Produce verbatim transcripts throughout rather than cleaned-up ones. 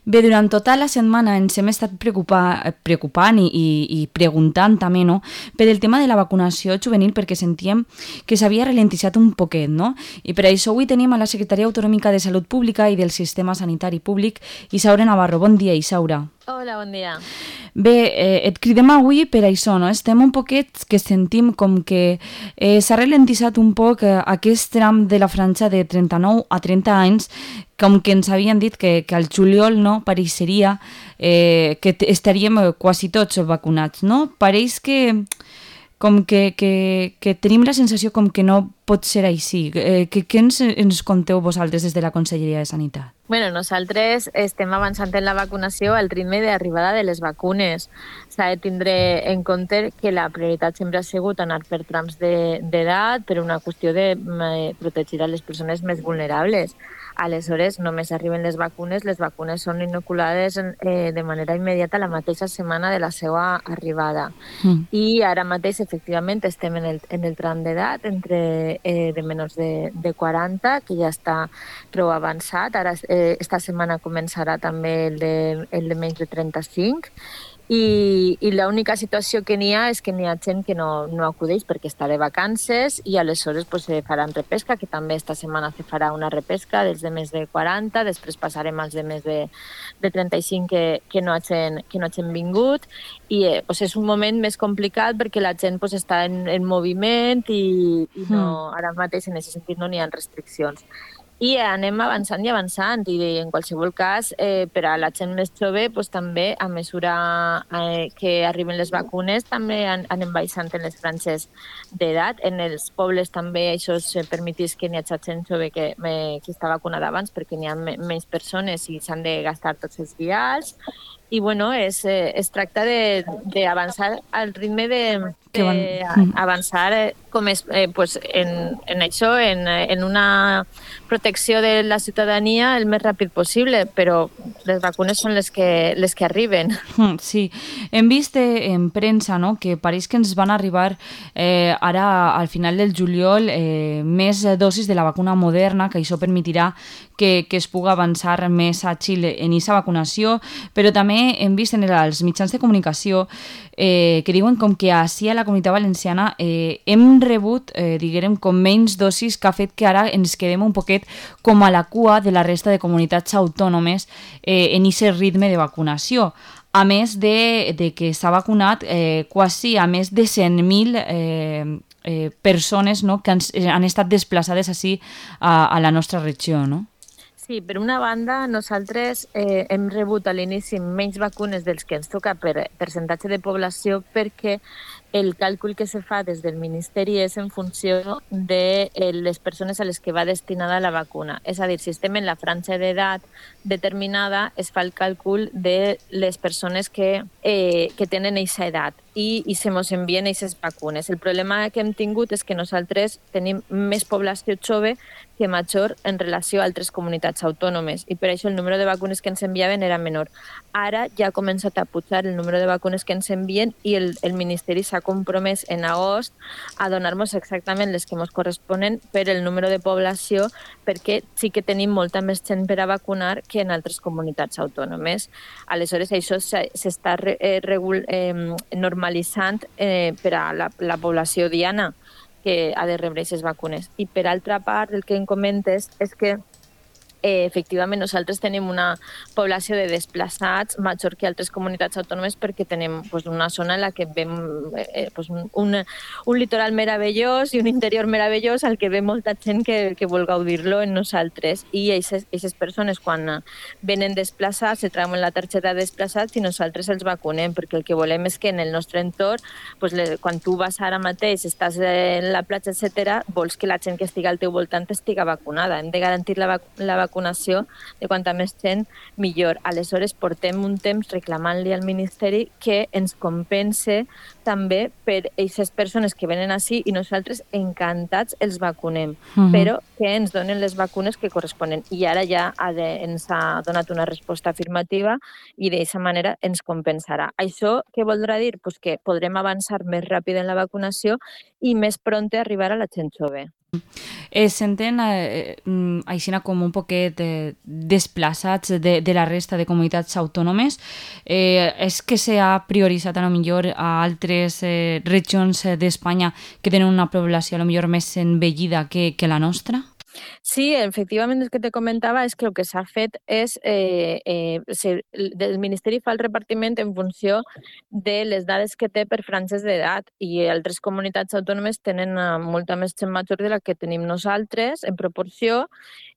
Bé, durant tota la setmana ens hem estat preocupa preocupant i, i, i preguntant també, no?, per el tema de la vacunació juvenil perquè sentíem que s'havia ralentitzat un poquet, no? I per això avui tenim a la Secretaria Autonòmica de Salut Pública i del Sistema Sanitari Públic, Isaura Navarro. Bon dia, Isaura. Hola, bon dia. Bé, eh, et cridem avui per això, no? Estem un poquet que sentim com que eh, s'ha ralentitzat un poc eh, aquest tram de la franja de trenta-nou a trenta anys, com que ens havien dit que, que al juliol, no?, pareixeria eh, que estaríem quasi tots vacunats, no? Pareix que com que, que, que tenim la sensació com que no pot ser així. Eh, que, què ens, ens conteu vosaltres des de la Conselleria de Sanitat? Bueno, nosaltres estem avançant en la vacunació al ritme d'arribada de les vacunes. S'ha de tindre en compte que la prioritat sempre ha sigut anar per trams d'edat per una qüestió de protegir a les persones més vulnerables. Aleshores, només arriben les vacunes, les vacunes són inoculades eh, de manera immediata la mateixa setmana de la seva arribada. Mm. I ara mateix, efectivament, estem en el, en el tram d'edat entre eh, de menors de, de quaranta, que ja està prou avançat. Ara, eh, esta setmana començarà també el de, el de menys de trenta-cinc. I, i l'única situació que n'hi ha és que n'hi ha gent que no, no acudeix perquè està de vacances i aleshores pues, se faran repesca, que també esta setmana se farà una repesca dels de més de quaranta, després passarem als de més de, de trenta-cinc que, que, no hagin, que no hagin vingut i eh, pues, és un moment més complicat perquè la gent pues, està en, en moviment i, i no, ara mateix en aquest sentit no n'hi ha restriccions. I anem avançant i avançant i en qualsevol cas eh, per a la gent més jove pues, també a mesura eh, que arriben les vacunes també an anem baixant en les franges d'edat. En els pobles també això es permetís que n'hi hagi gent jove que, eh, que està vacunada abans perquè n'hi ha menys persones i s'han de gastar tots els vials i bueno, es, eh, es tracta d'avançar al ritme de, de avançar eh, com és, eh, pues en, en això, en, en una protecció de la ciutadania el més ràpid possible, però les vacunes són les que, les que arriben. Sí, hem vist en premsa, no?, que pareix que ens van arribar eh, ara al final del juliol eh, més dosis de la vacuna Moderna, que això permetirà que, que es pugui avançar més a Xile en aquesta vacunació, però també hem vist en els mitjans de comunicació eh, que diuen com que així a la Comunitat Valenciana eh, hem rebut, eh, diguem, com menys dosis que ha fet que ara ens quedem un poquet com a la cua de la resta de comunitats autònomes eh, en aquest ritme de vacunació. A més de, de que s'ha vacunat eh, quasi a més de cent mil eh, eh, persones, no?, que han, han estat desplaçades així a, a la nostra regió, no? Sí, per una banda, nosaltres eh, hem rebut a l'inici menys vacunes dels que ens toca per percentatge de població perquè el càlcul que se fa des del Ministeri és en funció de les persones a les que va destinada la vacuna. És a dir, si estem en la franja d'edat determinada, es fa el càlcul de les persones que, eh, que tenen aquesta edat i, i se mos envien aquestes vacunes. El problema que hem tingut és que nosaltres tenim més població jove que major en relació a altres comunitats autònomes i per això el número de vacunes que ens enviaven era menor. Ara ja ha començat a pujar el número de vacunes que ens envien i el, el Ministeri s'ha compromès en agost a donar-nos exactament les que ens corresponen per el número de població perquè sí que tenim molta més gent per a vacunar que en altres comunitats autònomes. Aleshores, això s'està eh, eh, normalitzant eh, per a la, la població diana que ha de rebre aquestes vacunes. I per altra part, el que em comentes és que Eh, efectivament, nosaltres tenim una població de desplaçats major que altres comunitats autònomes perquè tenim pues, una zona en la que veiem eh, pues, un, un, un litoral meravellós i un interior meravellós al que ve molta gent que, que vol gaudir-lo en nosaltres. I aquestes persones, quan venen desplaçats, se trauen la targeta de desplaçats i nosaltres els vacunem, perquè el que volem és que en el nostre entorn, pues, le, quan tu vas ara mateix, estàs en la platja, etcètera, vols que la gent que estigui al teu voltant estiga vacunada. Hem de garantir la, vac la vacunació vacunació de quanta més gent, millor. Aleshores, portem un temps reclamant-li al Ministeri que ens compense també per aquestes persones que venen així i nosaltres encantats els vacunem, uh-huh. però que ens donen les vacunes que corresponen. I ara ja ha de, ens ha donat una resposta afirmativa i d'aquesta manera ens compensarà. Això què voldrà dir? Pues que podrem avançar més ràpid en la vacunació i més pront arribar a la gent jove. Es senten eh, mm, aixina com un poquet eh, desplaçats de, de la resta de comunitats autònomes. Eh, és que s'ha prioritzat a lo millor a altres eh, regions eh, d'Espanya que tenen una població a lo millor més envellida que, que la nostra? Sí, efectivament, el que te comentava és que el que s'ha fet és eh, eh, se, el Ministeri fa el repartiment en funció de les dades que té per franges d'edat i altres comunitats autònomes tenen eh, molta més gent major de la que tenim nosaltres en proporció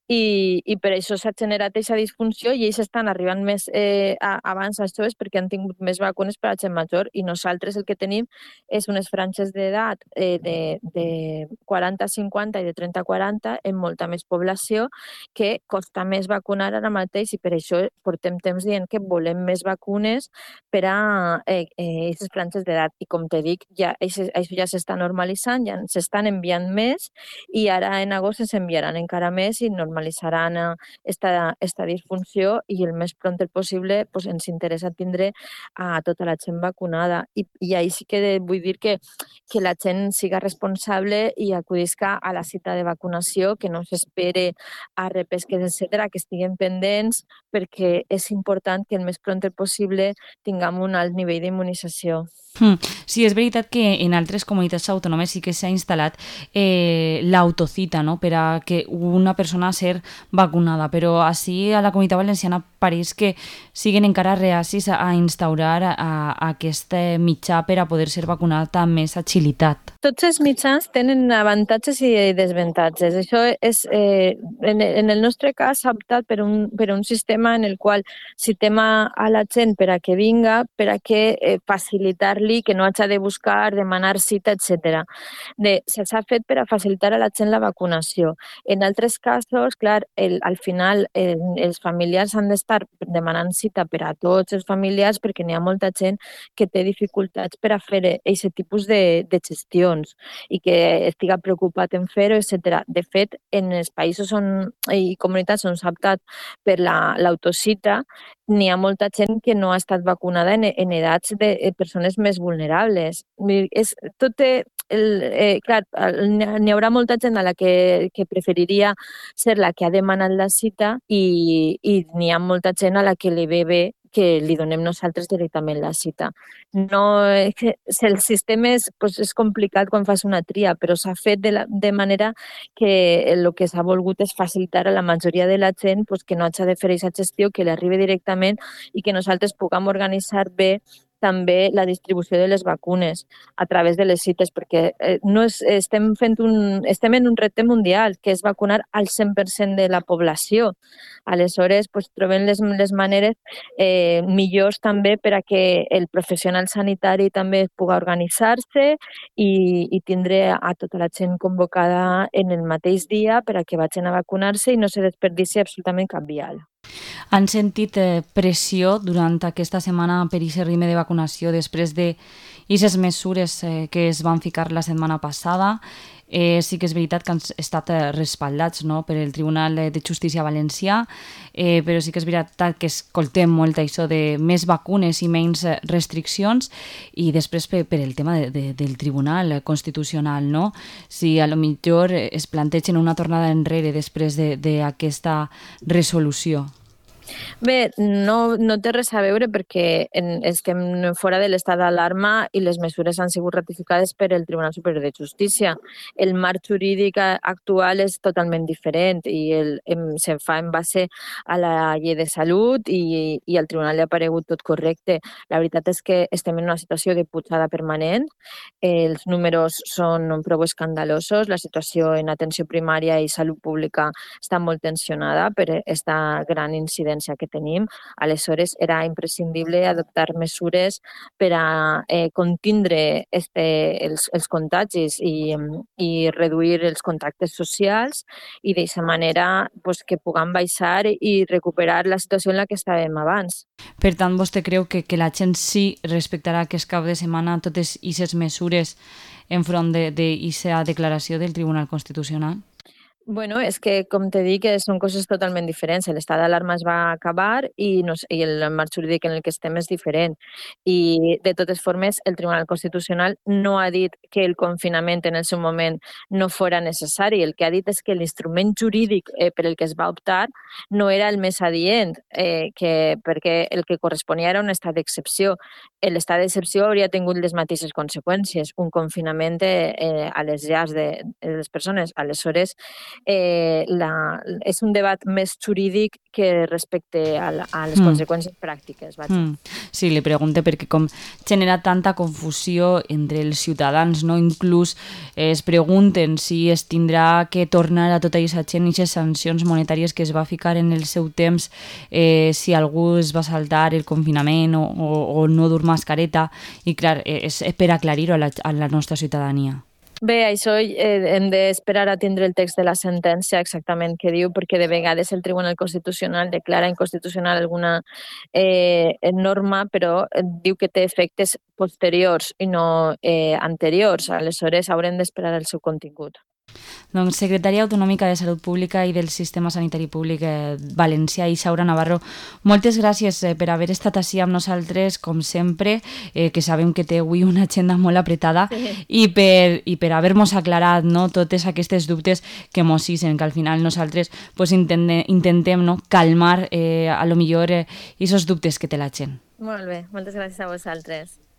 i, i per això s'ha generat aquesta disfunció i ells estan arribant més eh, a, abans als joves perquè han tingut més vacunes per a la gent major i nosaltres el que tenim és unes franges d'edat eh, de, de quaranta a cinquanta i de trenta a quaranta en molta més població que costa més vacunar ara mateix i per això portem temps dient que volem més vacunes per a eh, eh, aquestes franges d'edat i com te dic, ja, això, això ja s'està normalitzant, ja s'estan enviant més i ara en agost s'enviaran encara més i normalitzaran esta, esta disfunció i el més pront possible pues, ens interessa tindre a tota la gent vacunada. I, i ahí sí que vull dir que, que la gent siga responsable i acudisca a la cita de vacunació, que no s'espere a repesques, etcètera, que estiguen pendents perquè és important que el més pront possible tinguem un alt nivell d'immunització. Mm. Sí, és veritat que en altres comunitats autònomes sí que s'ha instal·lat eh, l'autocita, no?, per a que una persona ser vacunada, però així a la Comunitat Valenciana pareix que siguen encara reacis a, a instaurar a, a aquest mitjà per a poder ser vacunat amb més agilitat. Tots els mitjans tenen avantatges i desavantatges. Això és, eh, en, en el nostre cas, s'ha optat per un, per un sistema en el qual citem a, a la gent per a que vinga, per a que eh, facilitar-li, que no hagi de buscar, demanar cita, etcètera. S'ha fet per a facilitar a la gent la vacunació. En altres casos, clar, el, al final eh, els familiars han d'estar demanant cita per a tots els familiars perquè n'hi ha molta gent que té dificultats per a fer aquest tipus de, de gestió i que estiga preocupat en fer-ho, etcètera. De fet, en els països on, i comunitats on s'ha optat per l'autocita, la, n'hi ha molta gent que no ha estat vacunada en, en edats de persones més vulnerables. És, tot té, el, eh, clar, n'hi haurà molta gent a la que, que preferiria ser la que ha demanat la cita i, i n'hi ha molta gent a la que li ve bé que li donem nosaltres directament la cita. No, el sistema és, pues, és complicat quan fas una tria, però s'ha fet de, la, de manera que el que s'ha volgut és facilitar a la majoria de la gent pues, que no hagi de fer aquesta gestió, que li arribi directament i que nosaltres puguem organitzar bé també la distribució de les vacunes a través de les cites, perquè eh, no és, estem, fent un, estem en un repte mundial, que és vacunar al cent per cent de la població. Aleshores, pues, trobem les, les maneres eh, millors també per a que el professional sanitari també pugui organitzar-se i, i tindre a tota la gent convocada en el mateix dia per a que vagin a vacunar-se i no se desperdici absolutament cap vial. Han sentit eh, pressió durant aquesta setmana per aquest ritme de vacunació després de aquestes mesures eh, que es van ficar la setmana passada. Eh, sí que és veritat que han estat eh, respaldats, no?, per el Tribunal de Justícia Valencià, eh, però sí que és veritat que escoltem molt això de més vacunes i menys restriccions i després per, per el tema de, de, del Tribunal Constitucional, no? Si a lo millor es plantegen una tornada enrere després d'aquesta de, resolució. Bé, no, no té res a veure perquè en, estem fora de l'estat d'alarma i les mesures han sigut ratificades per el Tribunal Superior de Justícia. El marc jurídic actual és totalment diferent i el, em, se fa en base a la llei de salut i, i al Tribunal li ha aparegut tot correcte. La veritat és que estem en una situació de pujada permanent, els números són prou escandalosos, la situació en atenció primària i salut pública està molt tensionada per aquesta gran incidència que tenim. Aleshores, era imprescindible adoptar mesures per a eh, contindre este, els, els contagis i, i reduir els contactes socials i d'aquesta manera pues, que puguem baixar i recuperar la situació en la que estàvem abans. Per tant, vostè creu que, que la gent sí respectarà aquest cap de setmana totes aquestes mesures enfront d'aquesta de, declaració del Tribunal Constitucional? Bueno, és que, com te dic, eh, són coses totalment diferents. L'estat d'alarma es va acabar i, no sé, i el marc jurídic en el que estem és diferent. I, de totes formes, el Tribunal Constitucional no ha dit que el confinament en el seu moment no fora necessari. El que ha dit és que l'instrument jurídic eh, per el que es va optar no era el més adient, eh, que, perquè el que corresponia era un estat d'excepció. L'estat d'excepció hauria tingut les mateixes conseqüències, un confinament eh, eh, a les llars de, de les persones. Aleshores, eh, la, és un debat més jurídic que respecte a, la, a les mm. conseqüències pràctiques. Vaja. Mm. Sí, li pregunto perquè com genera tanta confusió entre els ciutadans, no? Inclús eh, es pregunten si es tindrà que tornar a tota aquesta gent i aquestes sancions monetàries que es va ficar en el seu temps eh, si algú es va saltar el confinament o, o, o no dur mascareta, i clar, és per aclarir-ho a la, a la nostra ciutadania. Bé, això eh, hem d'esperar a tindre el text de la sentència exactament què diu, perquè de vegades el Tribunal Constitucional declara inconstitucional alguna eh, norma, però diu que té efectes posteriors i no eh, anteriors. Aleshores, haurem d'esperar el seu contingut. Doncs Secretària Autonòmica de Salut Pública i del Sistema Sanitari Públic eh, Valencià, Isaura Navarro, moltes gràcies eh, per haver estat així amb nosaltres, com sempre, eh, que sabem que té avui una agenda molt apretada, sí. i per, i per haver-nos aclarat, no, totes aquestes dubtes que mos hicen, que al final nosaltres pues, intentem, intentem no, calmar eh, a lo millor eh, esos dubtes que té la gent. Molt bé, moltes gràcies a vosaltres.